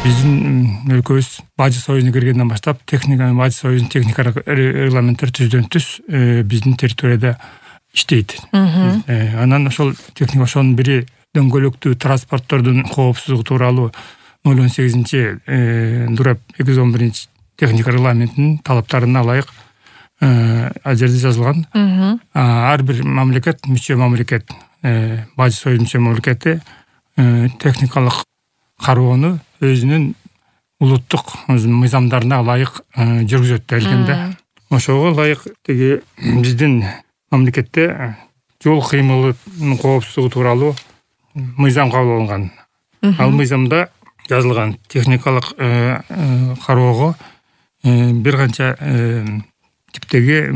Биздин өлкөбүз Бажы Союзуна киргенден баштап Бажы Союзунун техникалык регламенттери түздөн түз биздин территорияда иштейт. Анан ошол техника ошонун бири дөңгөлөктүү транспорттордун коопсуздугу тууралуу 08 Дурап 211 техника регламентинин талаптарына ылайык ал жерде жазылган. Ар бир мамлекет, мүчө мамлекет, Бажы Союз мүчө мамлекети техникалык кароону өзүнүн улуттук мыйзамдарына ылайык жүргүзөт делгенде. Ошого ылайык тиги биздин мамлекетте жол кыймылынын коопсуздугу тууралуу мыйзам кабыл алынган. Ал мыйзамда жазылган техникалык кароого бир канча типтеги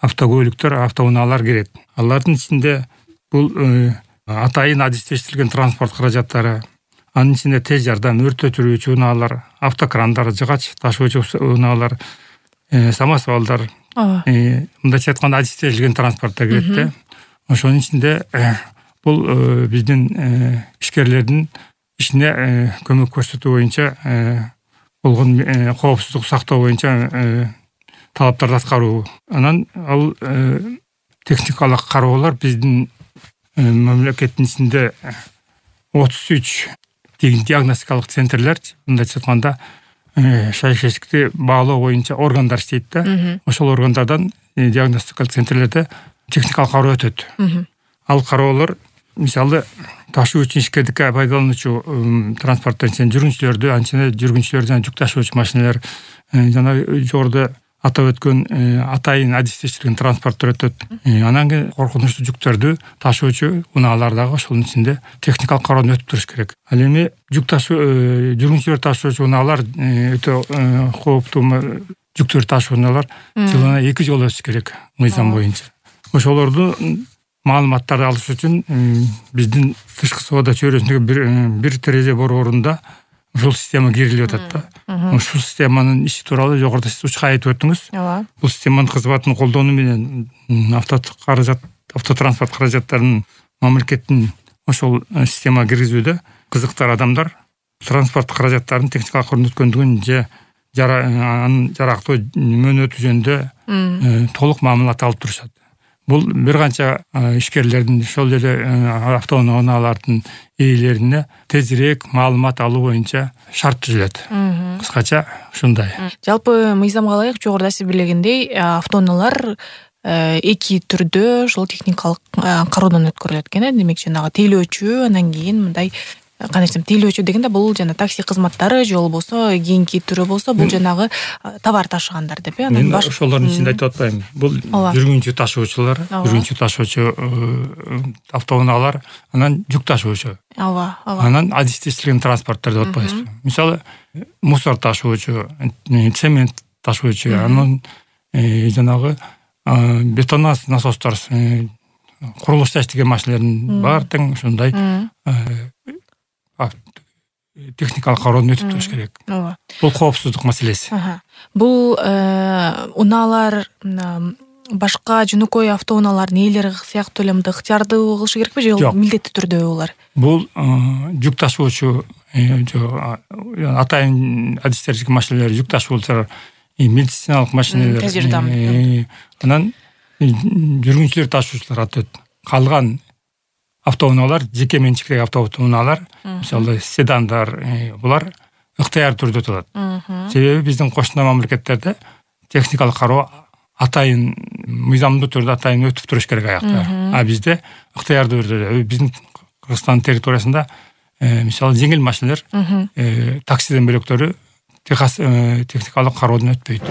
автокөлүктөр, автоунаалар кирет. Алардын ичинде бул атайын адистештирилген транспорт каражаттары, анын ичинде тез жардам, өрт өчүрүүчү унаалар, автокрандар, жыгач ташуучу унаалар, самосвалдар, мындайча айтканда адистештирилген транспорттор кирет да. Ошонун ичинде бул биздин ишкерлердин ишине көмөк көрсөтүү боюнча болгон коопсуздук сактоо боюнча талаптарды аткаруу. Анан ал техникалык кароолор биздин мамлекеттин ичинде 33 диагностикалык центрлер, мындайча айтканда шайкештикти баалоо боюнча органдар иштейт да. Ошол органдардан диагностикалык центрлерде техникалык кароо өтөт. Ал кароолор мисалы ташуучу ишкердикке пайдалануучу транспорттор ичинде жүргүнчүлөрдү, анча жүргүнчүлөр жана жүк ташуучу машиналар, жана жогоруда атап өткөн атайын адистештирилген транспорттор өтөт. Анан кийин коркунучтуу жүктөрдү ташуучу унаалар дагы ошонун ичинде техникалык кароодон өтүп туруш керек. Ал эми жүргүнчүлөр ташуучу унаалар өтө кооптуу жүктөр ташуучу унаалар жылына 2 жолу өтүш керек мыйзам боюнча. Ошолорду маалыматтарды алыш үчүн биздин тышкы соода чөйрөсүндөгү бир терезе борборунда ушул система кирилип атат да. Ушул системанын иши тууралуу жогоруда сиз учка айтып өттүңүз. Бул системанын кызматын колдонуу менен автотранспорт каражаттарынын мамлекеттин ошол системага киргизүүдө кызыктар адамдар транспорт каражаттарынын техникалык көрүнүткөндүгүн же анын жарактуу мөөнөтү жөнүндө толук маалымат алып турушат. Бул бир канча ишкерлердин ошол эле автоунаалардын ээлерине тезирээк маалымат алуу боюнча шарт түзүлөт. Кыскача ушундай. Жалпы мыйзамга ылайык жогоруда сиз билгендей автоунаалар 2 түрдө ошол техникалык кароодон өткөрүлөт экен. Демек жанагы тейлөөчү, анан кийин мындай кандай десем, тейлөөчү дегенде бул жана такси кызматтары же болбосо кийинки түрү болсо бул жанагы товар ташыгандар деп э. Мен ошолордун ичинде айтып атпайм. Бул жүргүнчү ташуучулар, жүргүнчү ташуучу автоунаалар, анан жүк ташуучу. Анан адистештирилген транспорттор деп атпайбызбы. Мисалы мусор ташуучу, цемент ташуучу, анан жанагы бетон насостор, курулушта иштеген машиналардын бар тең ушундай техникалык кароодон өтүп туруш керек. Бул коопсуздук маселеси. Бул унаалар башка жөнөкөй автоунаалардын ээлери сыяктуу эле мындай ыктыярдуу кылышы керекпи же милдеттүү түрдө булар? Бул жүк ташуучу атайын адистештирилген машиналар, жүк ташуучулар, медициналык машиналар, тез жардам. Анан жүргүнчүлөр ташуучулар атат. Калган автоунаалар, жеке менчиктеги автоунаалар, мисалы седандар, булар ыктыяр түрдө өтөт. Себеби биздин кошуна мамлекеттерде техникалык кароо атайын мыйзамдуу түрдө атайын өтүп туруш керек аякта. А бизде ыктыярдуу түрдө биздин Кыргызстан территориясында мисалы жеңил машиналар, таксиден бөлөктөрү техникалык кароодон өтпөйт.